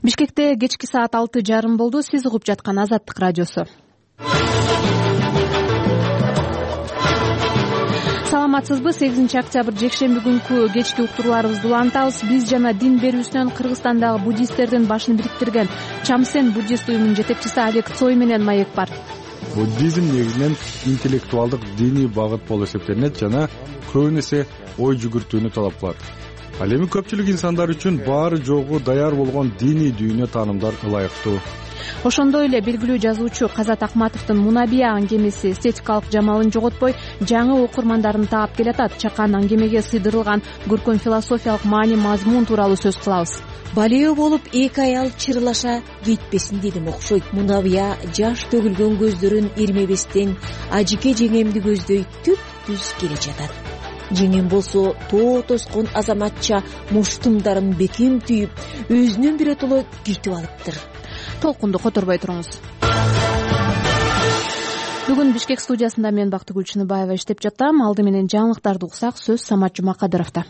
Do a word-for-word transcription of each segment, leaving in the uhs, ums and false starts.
Бишкекте кечки саат алты жарым болду. Сиз угуп жаткан Азаттык радиосу. Саламатсызбы? сегизинчи октябрь жекшемби күнкү кечки уктурууларыбызды улантабыз. Биз жана дин берүүсүнөн Кыргызстандагы буддисттердин башын бириктирген Чамсен буддист уюмунун жетекчиси Олег Цой менен маек бар. Буддизм негизинен интеллектуалдык диний багыт болуп эсептелинет жана көбүн эсе ой жүгүртүүнү талап кылат. Ал эми көпчүлүк инсандар үчүн баары жогу даяр болгон диний дүйнө таанымдар ылайыктуу. Ошондой эле белгилүү жазуучу Казат Акматовдун Мунабия аңгемеси эстетикалык жамалын жоготпой жаңы окурмандарын таап келатат. Чакан аңгемеге сыйдырылган көркөм философиялык маани мазмун тууралуу сөз кылабыз. Балео болуп эки аял чырылаша кетпесин дедим окшойт. Мунабия жаш төгүлгөн көздөрүн ирмебестен ажике жеңемди көздөй түп түз келе жатат. Жеңем болсо тоо тоскон азаматча муштумдарын бекем түйүп, өзүнөн биротоло күйтүп алыптыр. Толкунду которбой туруңуз. Бүгүн Бишкек студиясында мен Бактыгүл Чыныбаева иштеп жатам. Алды менен жаңылыктарды уксак, сөз Самат Жумакадыровдо.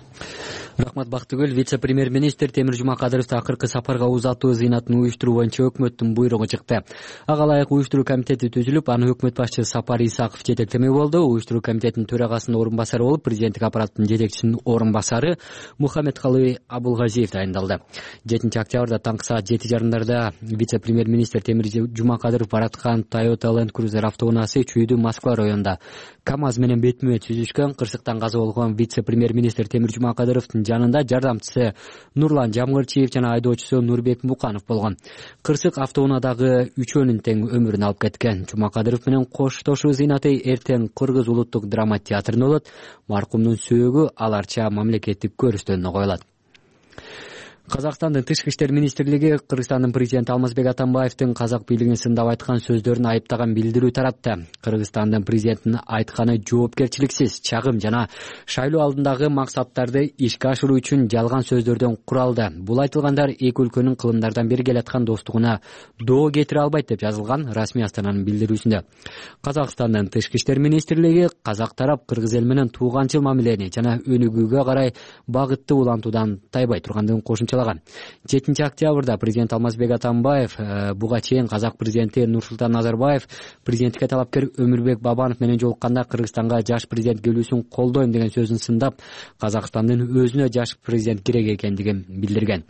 Рахмат Бактыгүл. Вице-премьер-министр Темир Жумакадыров акыркы сапарга узатуу зыйнатын уюштуруу боюнча өкмөттүн буйругу чыкты. Ага ылайык уюштуруу комитети түзүлүп, аны өкмөт башчысы Сапар Исаков жетектемек болду. Уюштуруу комитетинин төрагасынын орун басары болуп, президенттик аппараттын жетекчисинин орун басары Мухаммедкалый Абулгазиев дайындалды. жетинчи октябрда таңкы саат жети жарымдарда вице-премьер-министр Темир Жумакадыров бараткан Toyota Land Cruiser автоунаасы Чүйдүү Москва районунда КамАЗ менен бетме-бет сүзүшкөн. Кырсыктан каза болгон вице-премьер-министр Темир Жумакадыровдун жанында жардамчысы Нурлан Жамгырчиев жана айдоочусу Нурбек Муканов болгон. Кырсык автоунаадагы үчөөнүн тең өмүрүн алып кеткен. Жумакадыров менен коштошуу зыйнаты эртең Кыргыз улуттук драма театрында болот. Маркумдун сөөгү аларча мамлекеттик көрүстөнүнө коюлат. Казакстандын тышкы иштер министрлиги Кыргызстандын президенти Алмазбек Атамбаевдин казак бийлигин сындап айткан сөздөрүн айыптаган билдирүү таратты. Кыргызстандын президентинин айтканы жоопкерчиликсиз, чагым жана шайлоо алдындагы максаттарды ишке ашыруу үчүн жалган сөздөрдөн куралды. Бул айтылгандар эки өлкөнүн кылымдардан бери келаткан достугуна доо кетире албайт деп жазылган расмий астананын билдирүүсүндө. Казакстандын тышкы иштер министрлиги казак тарап кыргыз эл менен тууганчыл мамилени жана өнүгүүгө карай багытты улантуудан тайбай тургандыгын кошумчалаган. жетинчи октябрда президент Алмазбек Атамбаев буга чейин казак президенти Нурсултан Назарбаев президенттикке талапкер Өмүрбек Бабанов менен жолукканда Кыргызстанга жаш президент келүүсүн колдойм деген сөзүн сындап, Казакстандын өзүнө жаш президент керек экендигин билдирген.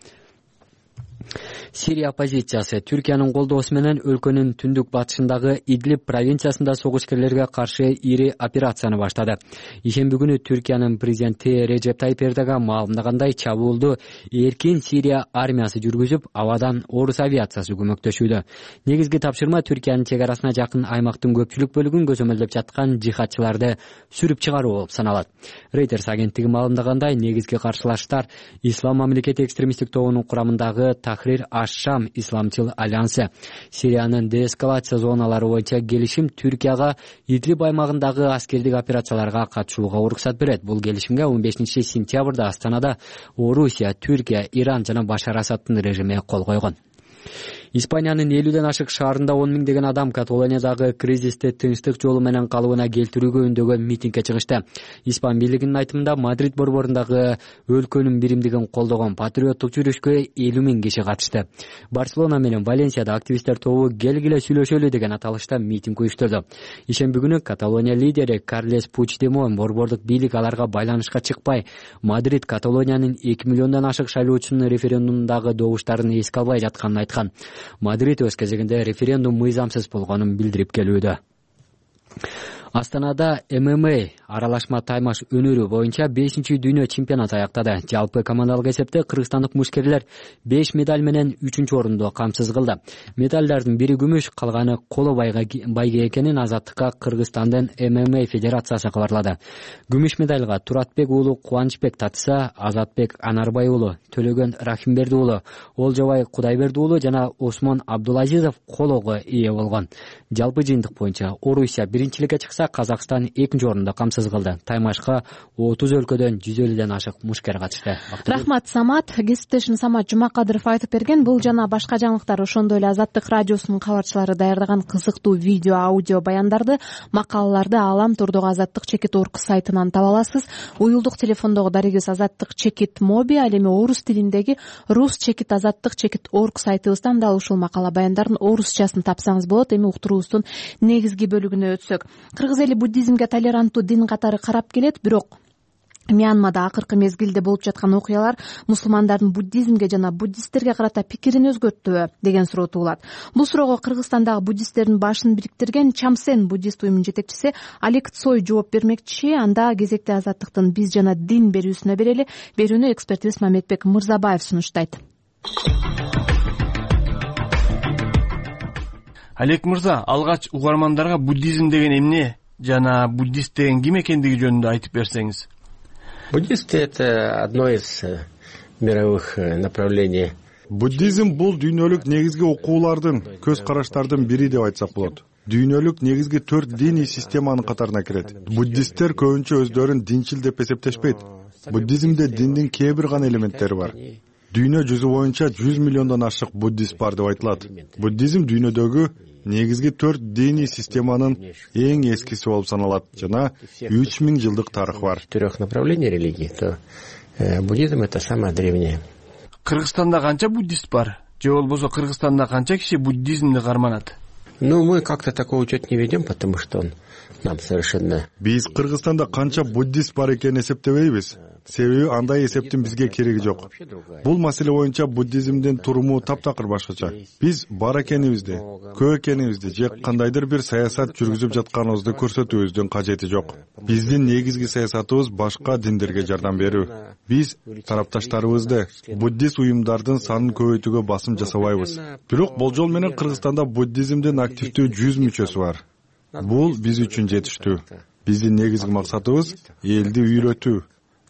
Сирия оппозициясы Түркиянын колдоосу менен өлкөнүн түндүк батышындагы Идлиб провинциясында согушкерлерге каршы ири операцияны баштады. Ишемби күнү Түркиянын президенти Режеп Тайип Эрдоган маалымдагандай, чабуулду эркин Сирия армиясы жүргүзүп, абадан орус авиациясы көмөктөшүүдө. Негизги тапшырма Түркиянын чек арасына жакын аймактын көпчүлүк бөлүгүн көзөмөлдөп жаткан жихадчыларды сүрүп чыгаруу болуп саналат. Reuters агенттиги маалымдагандай, негизги каршылаштар Ислам мамлекети экстремисттик тобунун курамындагы Тахрир аш-Шам исламчыл альянсы. Сириянын деэскалация зоналары боюнча келишим Түркияга Идлиб аймагындагы аскердик операцияларга катышууга уруксат берет. Бул келишимге он бешинчи сентябрда Астанада Орусия, Түркия, Иран жана Башар Асаддын режими кол койгон. Испаниянын элүүдөн ашык шаарында он миңдеген адам Каталониядагы кризисти тынчтык жолу менен калыбына келтирүүгө үндөгөн митингге чыгышты. Испан бийлигинин айтымында Мадрид борборундагы өлкөнүн биримдигин колдогон патриоттук жүрүшкө элүү миң киши катышты. Барселона менен Валенсияда активисттер тобу келгиле сүйлөшөлү деген аталышта митинг уюштурду. Ишемби күнү Каталония лидери Карлес Пучдемон борбордук бийлик аларга байланышка чыкпай, Мадрид Каталониянын эки миллиондон ашык шайлоочунун референдумдагы добуштарын эске албай жатканын айткан. Мадрид өз кезегинде референдум мыйзамсыз болгонун билдирип келүүдө. Астанада эм эм а аралашма таймаш өнөрү боюнча бешинчи дүйнө чемпионаты аяктады. Жалпы командалык эсепте кыргызстандык мушкерлер беш медаль менен үчүнчү орунду камсыз кылды. Медалдардын бири күмүш, калганы коло байга экенин Азаттыкка Кыргызстандын эм эм а федерациясы кабарлады. Күмүш медальга Туратбек уулу Кубанычбек татыса, Азатбек Анарбай уулу, Төлөгөн Рахимберди уулу, Олжобай Кудайберди уулу жана Осмон Абдулазизов колого ээ болгон. Жалпы жыйынтык боюнча Орусия биринчиликке чыкса, esa Казакстан экинчи орунду камсыз кылды. Таймашка отуз өлкөдөн жүз элүүдөн ашык мушкер катышты. Рахмат, Самат. Кесиптешим Самат Жумакадыров айтып берген. Бул жана башка жаңылыктар ошондой эле Азаттык радиосунун кабарчылары даярдаган кызыктуу видео, аудио баяндарды, макалаларды Алам турдугу Азаттык чекит орг сайтынан таба аласыз. Уюлдук телефондогу дарегибиз Азаттык чекит моби, ал эми орус тилиндеги рус чекит азаттык чекит орг сайтыбыздан дал ушул макала баяндардын орусчасын тапсаңыз болот. Эми уктуруубуздун негизги бөлүгүнө өтсөк, кыргыз эли буддизмге толеранттуу дин катары карап келет, бирок Мьянмада акыркы мезгилде болуп жаткан окуялар мусулмандардын буддизмге жана буддисттерге карата пикирин өзгөрттүбү деген суроо туулат. Бул суроого Кыргызстандагы буддисттердин башын бириктирген Чамсен буддист уюмунун жетекчиси Алик Цой жооп бермекчи. Анда кезекте Азаттыктын биз жана дин берүүсүнө берели. Берүүнү экспертибиз Мамедбек Мырзабаев сунуштайт. Алек мырза, алгач угармандарга буддизм деген эмне жана буддист деген ким экендиги жөнүндө айтып берсеңиз. Буддисты — это одно из мировых направлений. Буддизм бул дүйнөлүк негизги окуулардын, көз караштардын бири деп айтсак болот. Дүйнөлүк негизги төрт диний системанын катарына кирет. Буддисттер көбүнчө өздөрүн динчил деп эсептешпейт. Буддизмде диндин кээ бир гана элементтери бар. Дүйнө жүзү боюнча жүз миллиондон ашык буддист бар деп айтылат. Буддизм дүйнөдөгү негизги төрт диний системанын эң эскиси болуп саналат жана үч миң жылдык тарыхы бар. Трех направлений религии, то буддизм — это самое древнее. Кыргызстанда канча буддист бар? Же болбосо Кыргызстанда канча киши буддизмди карманат? Ну, мы как-то такой учет не ведем, потому что он нам совершенно... Биз Кыргызстанда канча буддист бар экенин эсептебейбиз. Себеби андай эсептин бизге кереги жок. Бул маселе боюнча буддизмдин туруму таптакыр башкача. Биз бар экенибизди, көп экенибизди же кандайдыр бир саясат жүргүзүп жатканыбызды көрсөтүүбүздүн кажети жок. Биздин негизги саясатыбыз башка диндерге жардам берүү. Биз тарапташтарыбызды, буддист уюмдардын санын көбөйтүүгө басым жасабайбыз. Бирок болжол менен Кыргызстанда буддизмдин активдүү жүз мүчөсү бар. Бул биз үчүн жетиштүү. Биздин негизги максатыбыз элди үйрөтүү,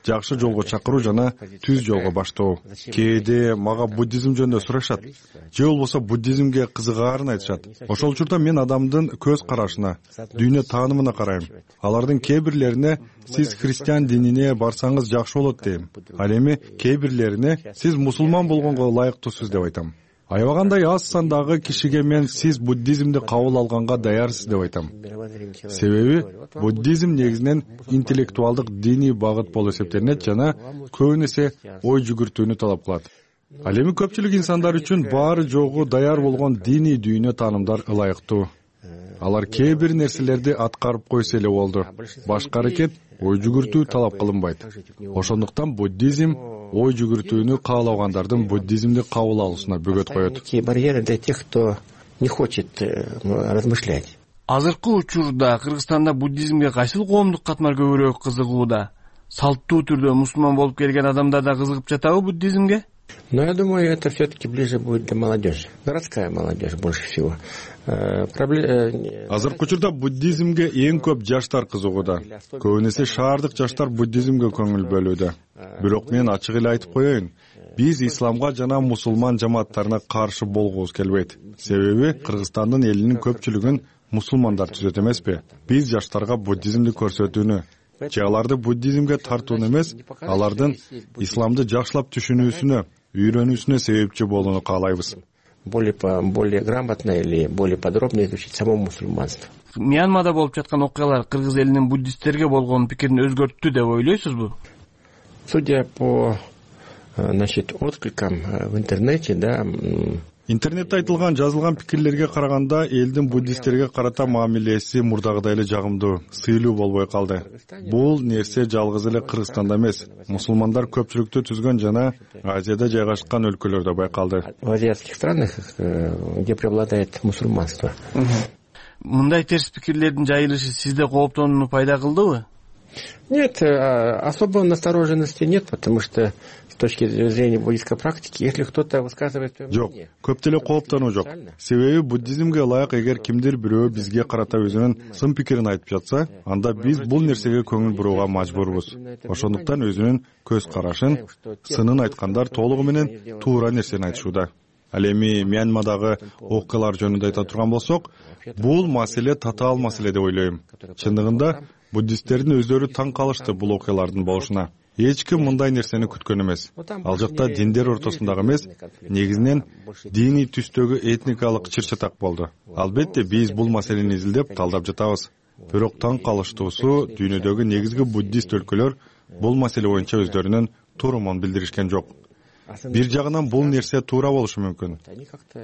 жакшы жолго чакыруу жана түз жолго баштоо. Кээде мага буддизм жөнүндө сурашат, же болбосо буддизмге кызыгаарын айтышат. Ошол учурда мен адамдын көз карашына, дүйнө таанымына карайм. Алардын кээ бирлерине сиз христиан динине барсаңыз жакшы болот дейм. Ал эми кээ бирлерине сиз мусулман болгонго ылайыктуусуз деп айтам. Аябагандай аз сандагы кишиге мен сиз буддизмди кабыл алганга даярсыз деп айтам. Себеби буддизм негизинен интеллектуалдык диний багыт болуп эсептелинет жана көбүн эсе ой жүгүртүүнү талап кылат. Ал эми көпчүлүк инсандар үчүн баары жогу даяр болгон диний дүйнө таанымдар ылайыктуу. Алар кээ бир нерселерди аткарып койсо эле болду. Башка аракет ой жүгүртүү талап кылынбайт. Ошондуктан буддизм ой жүгүртүүнү каалагандардын буддизмди кабыл алуусуна бөгөт коет. Барьеры для тех, кто не хочет размышлять. Азыркы учурда Кыргызстанда буддизмге кайсыл коомдук катмар көбүрөөк кызыгууда? Салттуу түрдө мусулман болуп келген адамдар да кызыгып жатабы буддизмге? Но я думаю, это все-таки ближе будет для молодежи. Городская молодежь больше всего. Азыркы учурда буддизмге эң көп жаштар кызыгууда. Көбүн эсе шаардык жаштар буддизмге көңүл бөлүүдө. Бирок мен ачык эле айтып коеюн, биз исламга жана мусулман жамааттарына каршы болгубуз келбейт. Себеби Кыргызстандын элинин көпчүлүгүн мусулмандар түзөт эмеспи? Биз жаштарга буддизмди көрсөтүүнү же аларды буддизмге тартууну эмес, алардын исламды жакшылап түшүнүүсүнө, үйрөнүүсүнө себепчи болууну каалайбыз. Более более грамотно или более подробно изучить само мусульманство. Мьянмада болуп жаткан окуялар кыргыз элинин буддисттерге болгон пикирин өзгөрттү деп ойлойсузбу? Судя по, значит, откликам в интернете, да. Интернетте айтылган, жазылган пикирлерге караганда элдин буддисттерге карата мамилеси мурдагыдай эле жагымдуу, сыйлуу болбой калды. Бул нерсе жалгыз эле Кыргызстанда эмес, мусулмандар көпчүлүктү түзгөн жана Азияда жайгашкан өлкөлөрдө байкалды. В азиатских странах, где преобладает мусульманство. Мындай терс пикирлердин жайылышы сизде кооптонууну пайда кылдыбы? Нет, особой настороженности нет, потому что с точки зрения буддийской практики, если кто-то высказывает свое мнение... Жок, көп деле кооптонуу жок. Себеби буддизмге ылайык эгер кимдир бирөө бизге карата өзүнүн сын пикирин айтып жатса, анда биз бул нерсеге көңүл бурууга мажбурбуз. Ошондуктан өзүнүн көз карашын, сынын айткандар толугу менен туура нерсени айтышууда. Ал эми Мьянмадагы окуялар жөнүндө айта турган болсок, бул маселе татаал маселе деп ойлойм. Чындыгында буддисттердин өздөрү таң калышты бул окуялардын болушуна. Эч ким мындай нерсени күткөн эмес. Ал жакта диндер ортосундагы эмес, негизинен диний түстөгү этникалык чыр-чатак болду. Албетте биз бул маселени изилдеп, талдап жатабыз. Бирок таң калыштуусу, дүйнөдөгү негизги буддист өлкөлөр бул маселе боюнча өздөрүнүн туурумун билдиришкен жок. Бир жагынан бул нерсе туура болушу мүмкүн.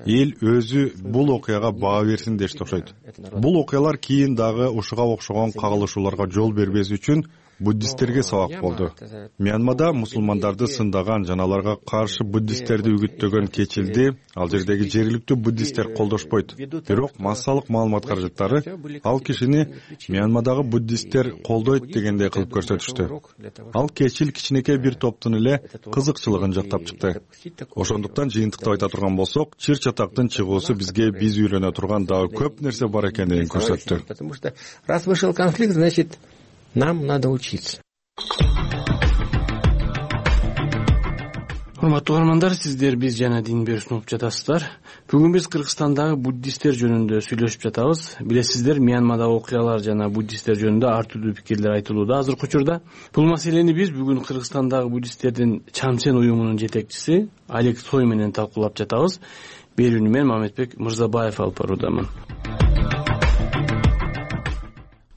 Эл өзү бул окуяга баа берсин дешти окшойт. Бул окуялар кийин дагы ушуга окшогон кагылышууларга жол бербес үчүн буддисттерге сабак болду. Мьянмада мусулмандарды сындаган жана аларга каршы буддисттерди үгүттөгөн Кечилди ал жердеги жергиликтүү буддисттер колдошпойт. Бирок массалык маалымат каражаттары ал кишини Мьянмадагы буддисттер колдойт дегендей кылып көрсөтүштү. Ал Кечил кичинекей бир топтун эле кызыкчылыгын жактап чыкты. Ошондуктан жыйынтыктап айта турган болсок, чыр-чатактын чыгуусу бизге биз үйрөнө турган дагы көп нерсе бар экендигин көрсөттү. Потому что раз вышел конфликт, значит, нам надо учиться. Урматтуу угармандар, сиздер биз жана дин берүүсүн угуп жатасыздар. Бүгүн биз Кыргызстандагы буддисттер жөнүндө сүйлөшүп жатабыз. Билесиздер, Мьянмадагы окуялар жана буддисттер жөнүндө ар түрдүү пикирлер айтылууда азыркы учурда. Бул маселени биз бүгүн Кыргызстандагы буддисттердин Чамсен уюмунун жетекчиси Олег Цой менен талкуулап жатабыз. Берүүнү мен Мамедбек Мырзабаев алып баруудамын.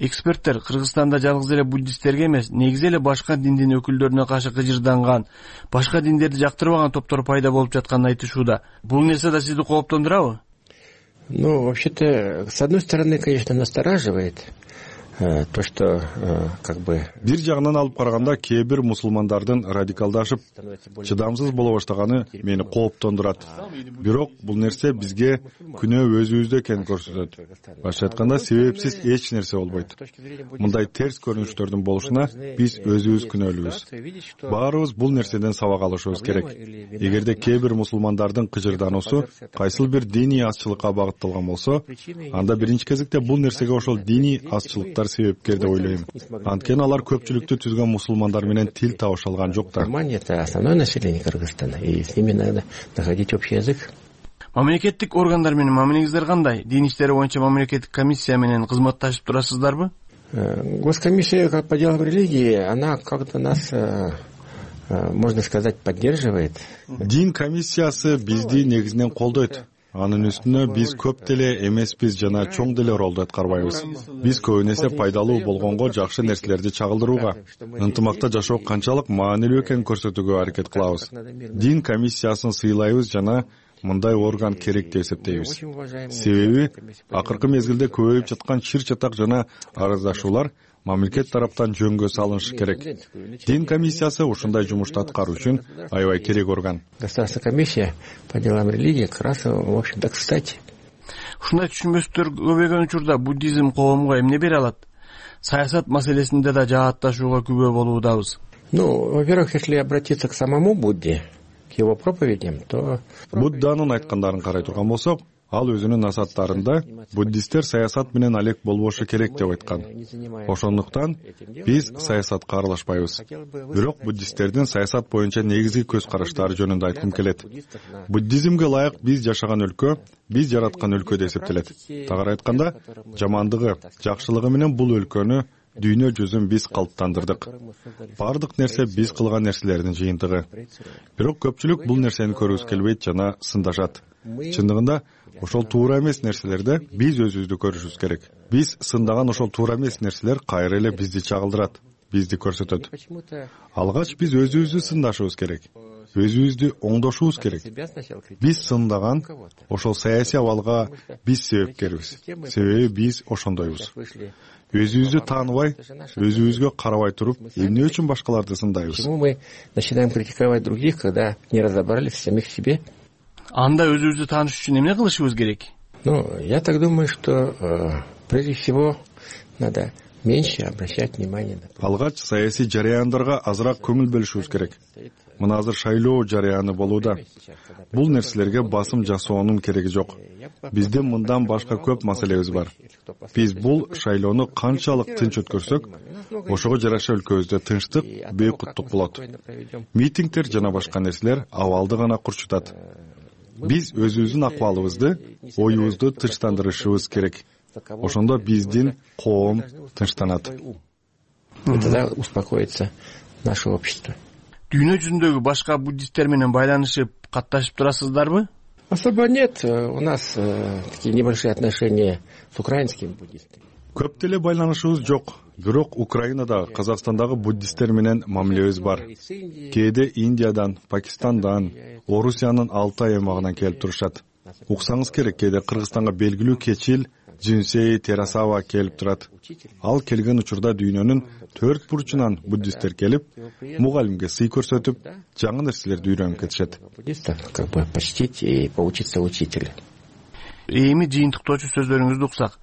Эксперттер Кыргызстанда жалгыз эле буддисттерге эмес, негизи эле башка диндин өкүлдөрүнө каршы кыжырданган, башка диндерди жактырбаган топтор пайда болуп жатканын айтышууда. Бул нерсе да сизди кооптондурабы? Ну, вообще-то, с одной стороны, конечно, настораживает то, что как бы бир жагынан алып караганда кээ бир мусулмандардын радикалдашып, чыдамсыз боло баштаганы мени кооптондурат. Бирок бул нерсе бизге күнөө өзүбүздө экенин көрсөтөт. Башка айтканда, себепсиз эч нерсе болбойт. Мындай терс көрүнүштөрдүн болушуна биз өзүбүз күнөөлүүбүз. Баарыбыз бул нерседен сабак алышыбыз керек. Эгерде кээ бир мусулмандардын кыжырдануусу кайсыл бир диний азчылыкка багытталган болсо, анда биринчи кезекте бул нерсеге ошол диний азчылыктар себепкер деп ойлойм. Анткени алар көпчүлүктү түзгөн мусулмандар менен тил табыша алган жоктар. Это основное население Кыргызстана, и с ними надо находить общий язык. Мамлекеттик органдар менен мамилеңиздер кандай? Дин иштери боюнча мамлекеттик комиссия менен кызматташып турасыздарбы? Госкомиссия по делам религии, она как-то нас, можно сказать, поддерживает. Дин комиссиясы бизди негизинен колдойт. Анын үстүнө биз көп деле эмеспиз жана чоң деле ролду аткарбайбыз. Биз көбүнесе пайдалуу болгонго жакшы нерселерди чагылдырууга, ынтымакта жашоо канчалык маанилүү экенин көрсөтүүгө аракет кылабыз. Дин комиссиясын сыйлайбыз жана мындай орган керек деп эсептейбиз. Себеби акыркы мезгилде көбөйүп жаткан чыр-чатак жана арыздашуулар мамлекет тараптан жөнгө салынышы керек. Дин комиссиясы ушундай жумушту аткаруу үчүн аябай керек орган. Государственная комиссия по делам религии как раз, в общем-то, кстати. Ушундай түшүнбөстөр көбөйгөн учурда буддизм коомго эмне бере алат? Саясат маселесинде да жаатташууга күбө болуудабыз. Ну, во-первых, если обратиться к самому Будде, к его проповедям, то Будданын айткандарын карай турган болсок, ал өзүнүн насааттарында буддисттер саясат менен алек болбошу керек деп айткан. Ошондуктан биз саясатка аралашпайбыз. Бирок буддисттердин саясат боюнча негизги көз караштары жөнүндө айткым келет. Буддизмге ылайык биз жашаган өлкө, биз жараткан өлкө деп эсептелет. Тагыраак айтканда, жамандыгы, жакшылыгы менен бул өлкөнү, дүйнө жүзүн биз калыптандырдык. Бардык нерсе биз кылган нерселердин жыйынтыгы. Бирок көпчүлүк бул нерсени көргүсү келбейт жана сындашат. Чындыгында ошол туура эмес нерселерде биз өзүбүздү көрүшүбүз керек. Биз сындаган ошол туура эмес нерселер кайра эле бизди чагылдырат, бизди көрсөтөт. Алгач биз өзүбүздү сындашыбыз керек. Өзүбүздү оңдошубуз керек. Биз сындаган ошол саясий абалга биз себепкербиз. Себеби биз ошондойбуз. Өзүбүздү тааныбай, өзүбүзгө карабай туруп, эмне үчүн башкаларды сындайбыз? Почему мы начинаем критиковать других, когда не разобрались в самих себе? Анда өзүбүздү тааныш үчүн эмне кылышыбыз керек? Ну, я так думаю, что э, прежде всего надо меньше обращать внимание на... Алгач саясий жараяндарга азыраак көңүл бөлүшүбүз керек. Мына азыр шайлоо жараяны болууда. Бул нерселерге басым жасоонун кереги жок. Бизде мындан башка көп маселебиз бар. Биз бул шайлоону канчалык тынч өткөрсөк, ошого жараша өлкөбүздө тынчтык, бейкуттук болот. Митингдер жана башка нерселер абалды гана курчутат. Биз өзүбүздүн акыбалыбызды, оюбузду тынчтандырышыбыз керек. Ошондо биздин коом тынчтанат. Тогда успокоится наше общество. Дүйнө жүзүндөгү башка буддисттер менен байланышып, катташып турасыздарбы? Особо нет. У нас такие небольшие отношения с украинскими буддистами. Көп деле байланышыбыз жок. Бирок Украинадагы, Казакстандагы буддисттер менен мамилебиз бар. Кээде Индиядан, Пакистандан, Орусиянын Алтай аймагынан келип турушат. Уксаңыз керек, кээде Кыргызстанга белгилүү кечил Жинсей Терасава келип турат. Ал келген учурда дүйнөнүн төрт бурчунан буддисттер келип, мугалимге сый көрсөтүп, жаңы нерселерди үйрөнүп кетишет. Буддистов как бы почтить и поучиться учителю. Эми жыйынтыктоочу сөздөрүңүздү уксак,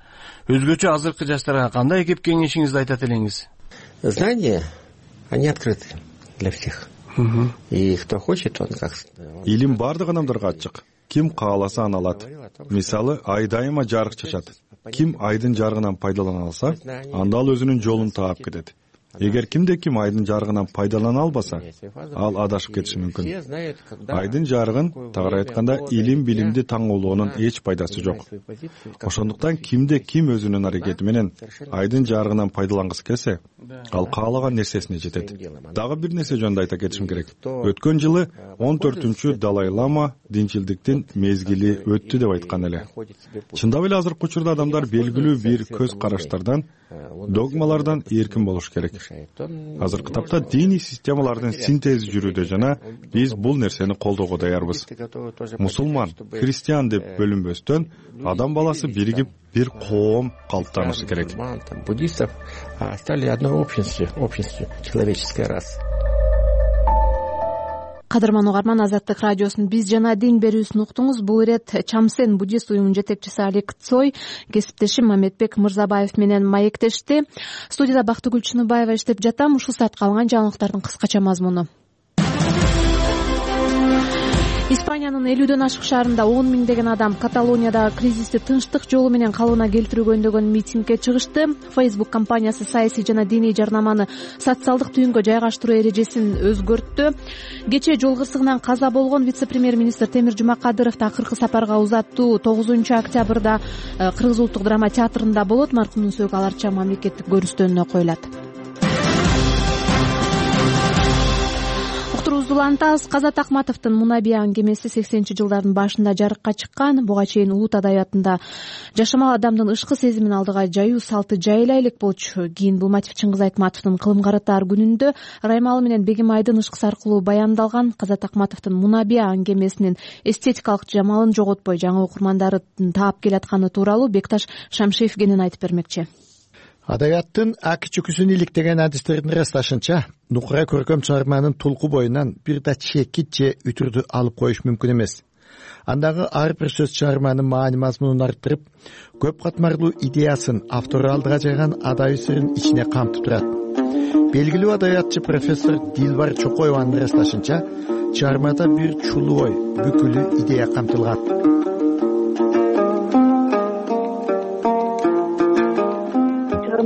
өзгөчө азыркы жаштарга кандай кеп кеңешиңизди айтат элеңиз? Знания, они открыты для всех. И кто хочет, он как... Илим бардык адамдарга ачык. Ким кааласа аны алат. Мисалы, ай дайыма жарык чачат. Ким айдын жарыгынан пайдалана алса, анда ал өзүнүн жолун таап кетет. Эгер кимде ким айдын жарыгынан пайдалана албаса, ал адашып кетиши мүмкүн. Айдын жарыгын, тагыраак айтканда, илим билимди таңоолоонун эч пайдасы жок. Ошондуктан кимде ким өзүнүн аракети менен айдын жарыгынан пайдалангысы келсе, ал каалаган нерсесине жетет. Дагы бир нерсе жөнүндө айта кетишим керек. Өткөн жылы он төртүнчү Далай Лама динчилдиктин мезгили өттү деп айткан эле. Чындап эле азыркы учурда адамдар белгилүү бир көз караштардан, догмалардан эркин болуш керек. Азыркы тапта диний системалардын синтези жүрүүдө жана биз бул нерсени колдоого даярбыз. Мусулман, христиан деп бөлүнбөстөн, адам баласы биригип бир коом калыптанышы керек. Буддистов стали одной общностью, общностью человеческой расы. Кадырман угарман, Азаттык радиосунун Биз жана дин берүүсүн уктуңуз. Бул ирет Чамсен буддист уюмунун жетекчиси Алик Цой, кесиптешим Мамедбек Мырзабаев менен маектешти. Студияда Бактыгүл Чыныбаева иштеп жатам. Ушул саатка алынган жаңылыктардын кыскача мазмуну. Испаниянын элүүдөн ашык шаарында он миңдеген адам Каталониядагы кризисти тынчтык жолу менен калыбына келтирүүгө үндөгөн митингге чыгышты. Facebook компаниясы саясий жана диний жарнаманы социалдык түйүнгө жайгаштыруу эрежесин өзгөрттү. Кечээ жол кырсыгынан каза болгон вице-премьер-министр Темир Жумакадыров акыркы сапарга узаттуу тогузунчу октябрда Кыргыз улуттук драма театрында болот. Маркумдун сөөгү аларча мамлекеттик көрүстөнүнө коюлат. Улантабыз. Казат Акматовдун Мунабиян кемеси сексенинчи жылдардын башында жарыкка чыккан. Буга чейин Уут адабиятында жашамал адамдын ышкы сезимин алдыга жаюу салты жайыла элек болчу. Кийин бул мотив Чыңгыз Айтматовдун кылым каратаар күнүндө Раймалы менен Бегим Айдын ышкысы аркылуу баяндалган. Казат Акматовдун Мунабиян кемесинин эстетикалык жамалын жоготпой жаңы окурмандарын таап келатканы тууралуу Бекташ Шамшиев кенен айтып бермекчи. Адабияттын аки чүкүсүн иликтеген адистердин ырасташынча, нукура көркөм чыгарманын тулку боюнан бир да чекит же үтүрдү алып коюш мүмкүн эмес. Андагы ар бир сөз чыгарманын маани мазмунун арттырып, көп катмарлуу идеясын автору алдыга жайган адабий сырын ичине камтып турат. Белгилүү адабиятчы профессор Дилбар Чокоеванын ырасташынча, чыгармада бир чулуу ой, бүкүлү идея камтылган.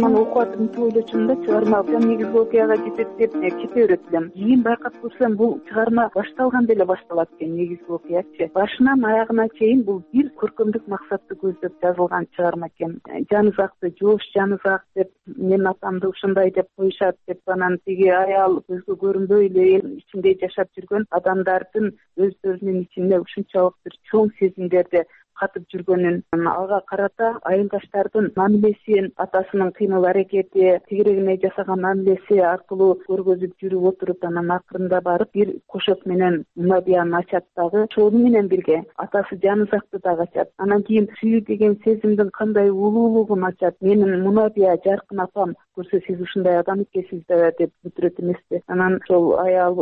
Окуп атып ойлочумун да, чыгарма негизги окуяга жетет деп кете берет элем. Кийин байкап көрсөм, бул чыгарма башталганда эле башталат экен, негизги окуячы. Башынан аягына чейин бул бир көркөмдүк максатты көздөп жазылган чыгарма экен. Жанызакты жоош жанызак деп, менин атамды ушундай деп коюшат деп, анан тиги аял көзгө көрүнбөй эле эл ичинде жашап жүргөн адамдардын өздөрүнүн ичинде ушунчалык бир чоң сезимдерди катып жүргөнүн, ага карата айылдаштардын мамилесин, атасынын кыймыл аракети, тигирегине жасаган мамилеси аркылуу көргөзүп жүрүп отуруп, анан акырында барып бир кошок менен Мунабияны ачат дагы. Ошону менен бирге атасы Жанызакты дагы ачат. Анан кийин сүйүү деген сезимдин кандай улуулугун ачат. Менин Мунабия жаркын апам көрсө, сиз ушундай адам экенсиз да деп бүтүрөт эмеспи. Анан ошол аял,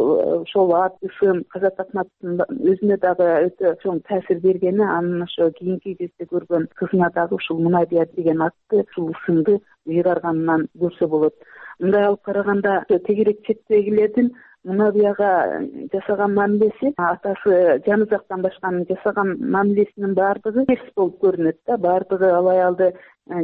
ошол ат ысым Казат Акматовдун өзүнө дагы өтө чоң таасир бергени, анын ошо кийинки кезде көргөн кызына дагы ушул Мунабия деген атты, ушул ысымды ыйгарганынан көрсө болот. Мындай алып караганда, тегерек четтегилердин Мунабияга жасаган мамилеси, атасы Жанызактан башканын жасаган мамилесинин баардыгы терс болуп көрүнөт да. Баардыгы ал аялды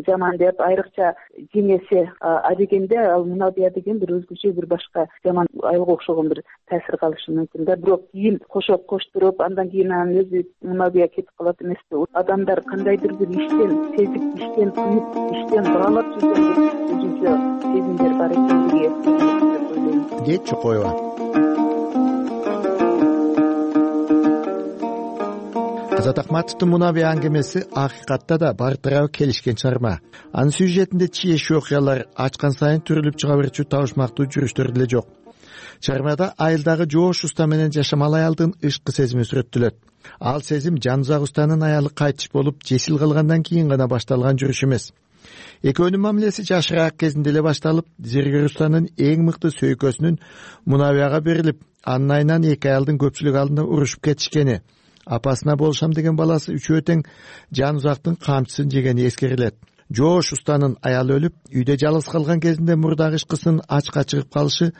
жаман деп, айрыкча жеңеси Адегенде ал Мунабия деген бир өзгөчө, бир башка жаман айылга окшогон бир таасир калышы мүмкүн да. Бирок кийин кошоп коштуруп, андан кийин анын өзү Мунабия кетип калат эмеспи. Адамдар кандайдыр бир иштен сезип, иштен туюп, иштен баалап жүргөн өзүнчө сезимдер бар экендиги дейт Чокоева. Казат Акматовдун Мунабия аңгемеси акыйкатта да бартырабы келишкен чыгарма. Анын сюжетинде чиеш окуялар ачкан сайын түрүлүп чыга берчү табышмактуу жүрүштөр деле жок. Чыгармада айылдагы жоош уста менен жашамал аялдын ышкы сезими сүрөттөлөт. Ал сезим Жанызак устанын аялы кайтыш болуп, жесил кылгандан кийин гана башталган жүрүш эмес. Экөөнүн мамилеси жашыраак кезинде эле башталып, зергер устанын эң мыкты сөйкөсүнүн Мунабияга берилип, анын айынан эки аялдын көпчүлүк алдында урушуп кетишкени, апасына болушам деген баласы үчөө тең Жанызактын камчысын жегени эскерилет. Жоош устанын аялы өлүп, үйдө жалгыз калган кезинде мурдагы ышкысынын ачка чыгып калышы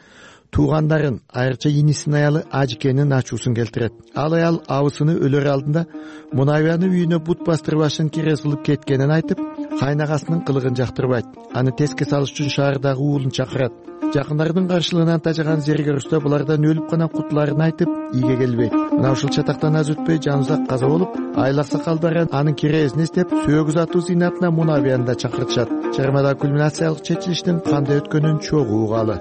туугандарын, айрыкча инисинин аялы Ажикенин ачуусун келтирет. Ал аял абысыны өлөр алдында Мунабиянын үйүнө бут бастырып башын кире кылып кеткенин айтып, кайнагасынын кылыгын жактырбайт. Аны теске салыш үчүн шаардагы уулун чакырат. Жакындардын каршылыгынан тажаган зергер уста булардан өлүп гана кутуларын айтып, ийге келбейт. Мына ушул чатактан аз өтпөй Жанызак каза болуп, айыл аксакалдары анын кирээсин эстеп, сөөгүз атуу зыйнатына Мунабияны да чакыртышат. Чыгармада кульминациялык чечилиштин кандай өткөнүн чогуу угалы.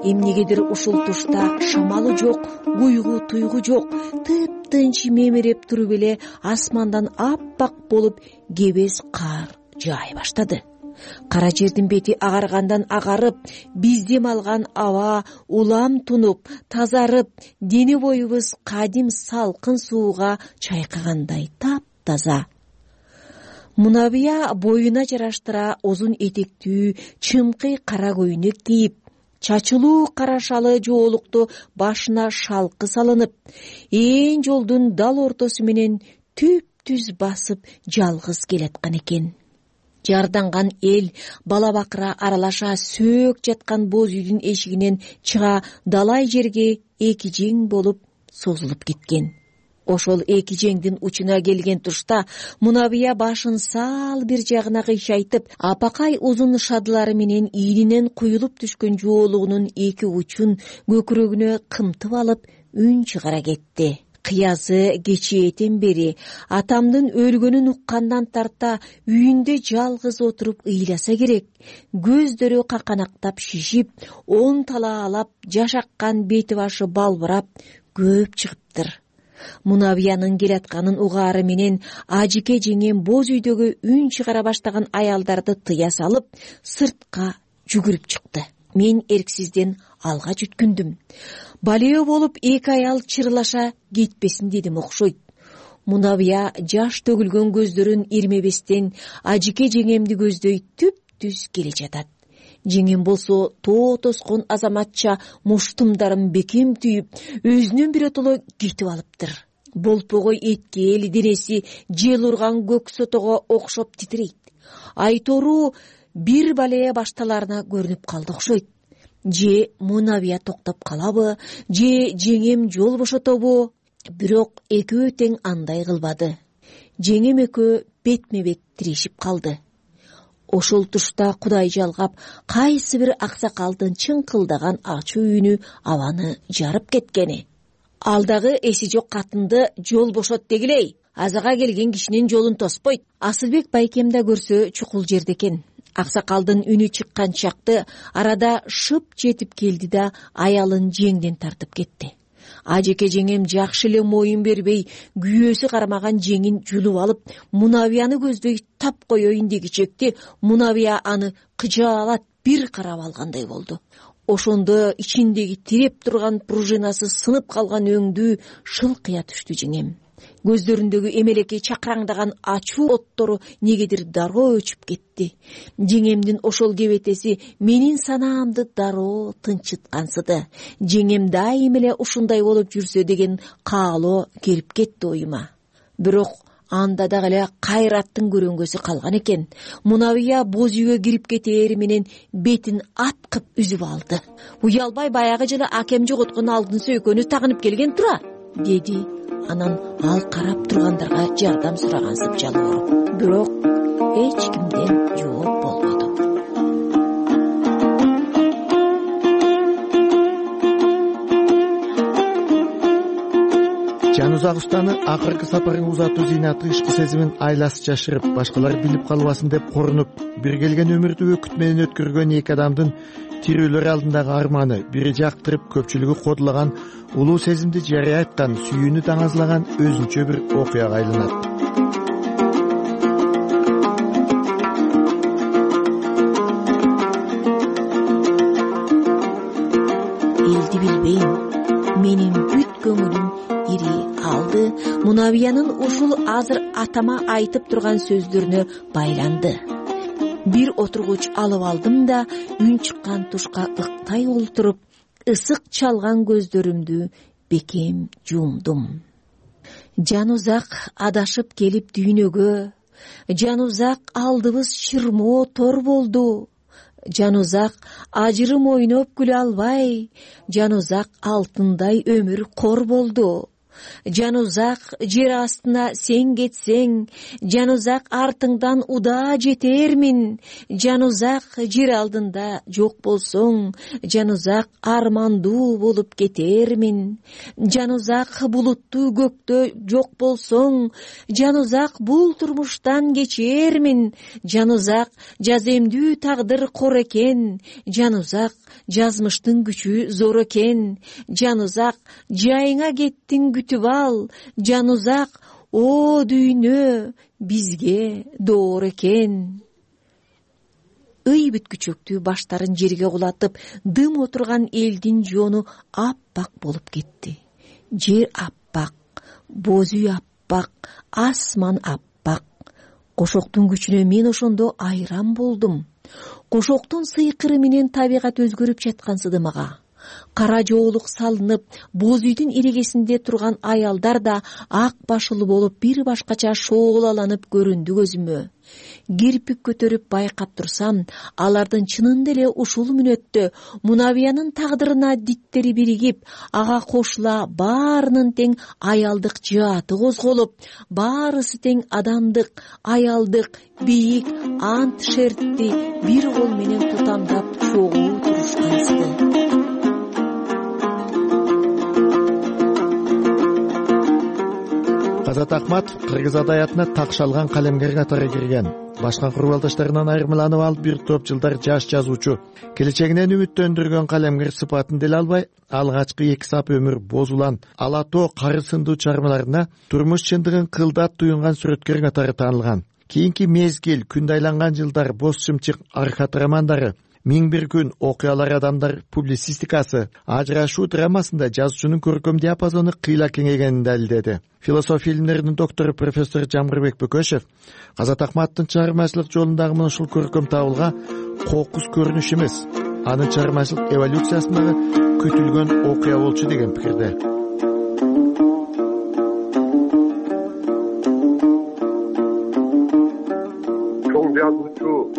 Эмнегедир ушул тушта шамалы жок, уйгу туйгу жок, тыптынч мемиреп туруп эле асмандан аппак болуп кебес кар жаай баштады. Кара жердин бети агаргандан агарып, биз дем алган аба улам тунуп, тазарып, дене боюбуз кадим салкын сууга чайкагандай таптаза. Мунабия боюна жараштыра узун этектүү, чымкый кара көйнөк кийип, чачылуу кара шалы жоолукту башына шалкы салынып, ээн жолдун дал ортосу менен түп-түз басып жалгыз келаткан экен. Жарданган эл бала бакыра аралаша сөөк жаткан боз үйдүн эшигинен чыга далай жерге эки жең болуп созулуп кеткен. Ошол эки жеңдин учуна келген тушта Мунабия башын сал бир жагына кыйшайтып, апакай узун шадылары менен ийининен куюлуп түшкөн жоолугунун эки учун көкүрөгүнө кымтып алып, үн чыгара кетти. Кыязы кечээден бери атамдын өлгөнүн уккандан тарта үйүндө жалгыз отуруп ыйласа керек. Көздөрү каканактап шишип, он талаалап жашаккан бети башы балбырап көп чыгыптыр. Мунабиянын келатканын угаары менен Ажике жеңем боз үйдөгү үн чыгара баштаган аялдарды тыя салып, сыртка жүгүрүп чыкты. Мен эрксизден алга жүткүндүм. Балео болуп эки аял чырлаша кетпесин дедим окшойт. Мунабия жаш төгүлгөн көздөрүн ирмебестен Ажике жеңемди көздөй түп-түз келе жатат. Жеңем болсо тоо тоскон азаматча муштумдарын бекем түйүп, өзүнөн биротоло кетип алыптыр. Болпогой эткел денеси жел урган көк сотого окшоп титирейт. Айтору бир балея башталарына көрүнүп калды окшойт. Же Мунабия токтоп калабы, же жеңем жол бошотобу? Бирок экөө тең андай кылбады. Жеңем экөө бетме бет тирешип калды. Ошол тушта Кудай жалгап, кайсы бир аксакалдын чыңкылдаган ачуу үнү абаны жарып кеткени. Алдагы эси жок катынды жол бошот дегилей. Азага келген кишинин жолун тоспойт. Асылбек байкем да көрсө чукул жерде экен. Аксакалдын үнү чыккан чакты арада шып жетип келди да аялын жеңден тартып кетти. Ажеке жеңем жакшы эле моюн бербей, күйөөсү кармаган жеңин жулуп алып, Мунабияны көздөй тап коеюн дегичекти Мунабия аны кыжаалат бир карап алгандай болду. Ошондо ичиндеги тиреп турган пружинасы сынып калган өңдүү шылкыя түштү жеңем. Көздөрүндөгү эмелекей чакыраңдаган ачуу оттору негедир дароо өчүп кетти. Жеңемдин ошол кебетеси менин санаамды дароо тынчыткансыды. Жеңем дайым эле ушундай болуп жүрсө деген каалоо келип кетти оюма. Бирок анда дагы эле кайраттын көрөңгөсү калган экен. Мунабия боз үйгө кирип кетээр менен бетин аткып үзүп алды. Уялбай баягы жылы акем жоготкон алтын сөйкөнү тагынып келген тура, деди. Анан ал карап тургандарга жардам сурагансып жалбооруп. Бирок эч кимден жооп болбоду. Жанузак устаны акыркы сапарын узатуу зыйнаты ишкы сезимин айласы жашырып, башкалар билип калбасын деп корунуп, бир келген өмүрдү өкүт менен өткөргөн эки адамдын тирүүлөр алдындагы арманы бири жактырып, көпчүлүгү кодулаган улуу сезимди жарыя айткан, сүйүүнү таңазлаган өзүнчө бир окуяга айланат. Элди билбейм, менин бүт көңүлүм ири алды. Мунабиянын ушул азыр атама айтып турган сөздөрүнө байланды. Бир отургуч алып алдым да үн чыккан тушка ыктай олтуруп, ысык чалган көздөрүмдү бекем жумдум. Жанузак адашып келип дүйнөгө, жанузак алдыбыз шырмоо тор болду. Жанузак ажырым ойноп күлө албай, жанузак алтындай өмүр кор болду. Жанузак жер астына сен кетсең, жанузак артыңдан удаа жетермин. Жанузак жер алдында жок болсоң, жанузак армандуу болуп кетермин. Жанузак булуттуу көктө жок болсоң, жанузак бул турмуштан кечермин. Жанузак жаземдүү тагдыр кор экен, жанузак жазмыштын күчү зор экен. Жанузак жайыңа кеттиң күтүп ал, жанузак о дүйнө бизге доор экен. Ый бүткүчөктүү баштарын жерге кулатып, дым отурган элдин жоону аппак болуп кетти. Жер аппак, боз үй аппак, асман аппак. Кошоктун күчүнө мен ошондо айран болдум. Кошоктун сыйкыры менен табигат өзгөрүп жаткансыды мага. Кара жоолук салынып, боз үйдүн эрегесинде турган аялдар да ак башылуу болуп бир башкача шоолаланып көрүндү көзүмө. Кирпик көтөрүп байкап турсам, алардын чынында эле ушул мүнөттө Мунабиянын тагдырына диттери биригип, ага кошула баарынын тең аялдык жааты козголуп, баарысы тең адамдык, аялдык, бийик ант шертти бир кол менен тутамдап чогуу турушкансыды. Азат Акматов кыргыз адаятына такшалган калемгер катары кирген. Башка курбалдаштарынан айырмаланып алып бир топ жылдар жаш жазуучу. Келечегинен үмүттөндүргөн калемгер сыпатын деле албай, алгачкы эки сап өмүр боз улан, ала тоо кары сындуу чыгармаларына турмуш чындыгын кылдат туюнган сүрөткер катары таанылган. Кийинки мезгил, күндө айланган жылдар, боз чымчык, аркат романдары, Миң бир күн, окуялар адамдар публицистикасы, ажырашуу драмасында жазуучунун көркөм диапазону кыйла кеңейгенин далилдеди. Философия илимдеринин доктору профессор Жамгырбек Бөкөшев Азат Акматовдун чыгармачылык жолундагы мына ушул көркөм табылга кокус көрүнүш эмес, анын чыгармачылык эволюциясындагы күтүлгөн окуя болчу деген пикирде.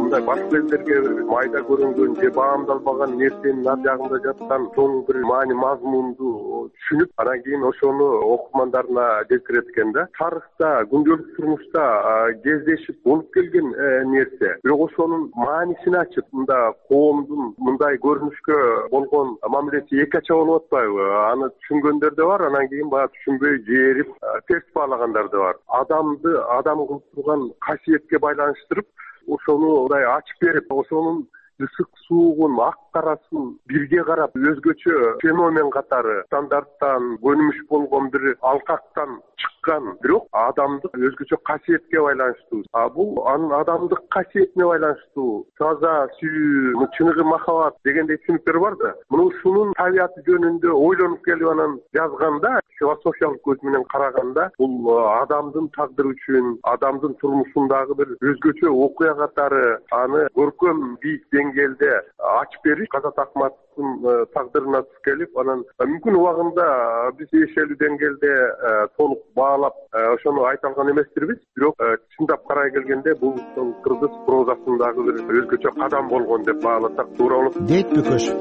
Мындай башка элдерге майда көрүнгөн же баамдалбаган нерсенин ар жагында жаткан чоң бир маани мазмунду түшүнүп, анан кийин ошону окурмандарына жеткирет экен да. Тарыхта, күндөлүк турмушта кездешип болуп келген нерсе. Бирок ошонун маанисин ачып, мында коомдун мындай көрүнүшкө болгон мамилеси экача болуп атпайбы? Аны түшүнгөндөр да бар, анан кийин баягы түшүнбөй жээрип, терс баалагандар да бар. Адамды адам кылып турган касиетке байланыштырып, ошону мындай ачып берип, ошонун ысык суугун, ак капкарасын бирге карап өзгөчө феномен катары стандарттан көнүмүш болгон бир алкактан чыккан, бирок адамдык өзгөчө касиетке байланыштуу. А бул анын адамдык касиетине байланыштуу таза сүйүү, чыныгы махаббат дегендей түшүнүктөр бар да. Муну ушунун табияты жөнүндө ойлонуп келип анан жазганда, философиялык көз менен караганда, бул адамдын тагдыры үчүн, адамдын турмушундагы бир өзгөчө окуя катары аны көркөм бийик деңгээлде ачып бериш Казат Акматовдун тагдырына туш келип, анан мүмкүн убагында биз тиешелүү деңгээлде толук баалап ошону айта алган эмеспирбиз, бирок чындап карай келгенде бул кыргыз прозасындагы бир өзгөчө кадам болгон деп бааласак туура болот, дейт Бөкөш.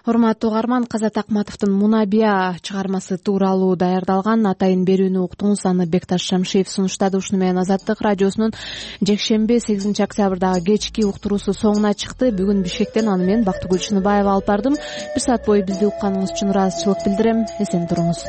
Урматтуу угарман, Казат Акматовдун Мунабия чыгармасы тууралуу даярдалган атайын берүүнү уктуңуз. Аны Бекташ Шамшиев сунуштады. Ушуну менен Азаттык радиосунун жекшемби сегизинчи октябрдагы кечки уктуруусу соңуна чыкты. Бүгүн Бишкектен аны мен Бактыгүл Чыныбаева алып бардым. Бир саат бою бизди укканыңыз үчүн ыраазычылык билдирем. Эсен туруңуз.